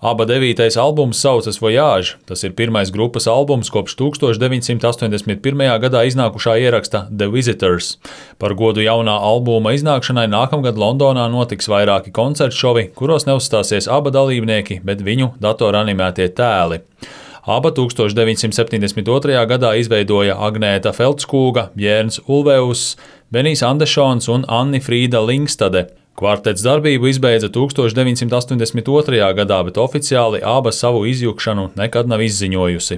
ABBA 9. albums saucas Voyage. Tas ir pirmais grupas albums kopš 1981. gadā iznākušā ieraksta The Visitors. Par godu jaunā albuma iznākšanai nākamgad Londonā notiks vairāki koncertšovi, kuros neuzstāsies ABBA dalībnieki, bet viņu datoranimētie tēli. ABBA 1972. gadā izveidoja Agnēta Feldskūga, Jērns Ulveus, Benijs Andešons un Anni Frīda Lingstade. Kvartets darbību izbeidza 1982. gadā, bet oficiāli ABBA savu izjukšanu nekad nav izziņojusi.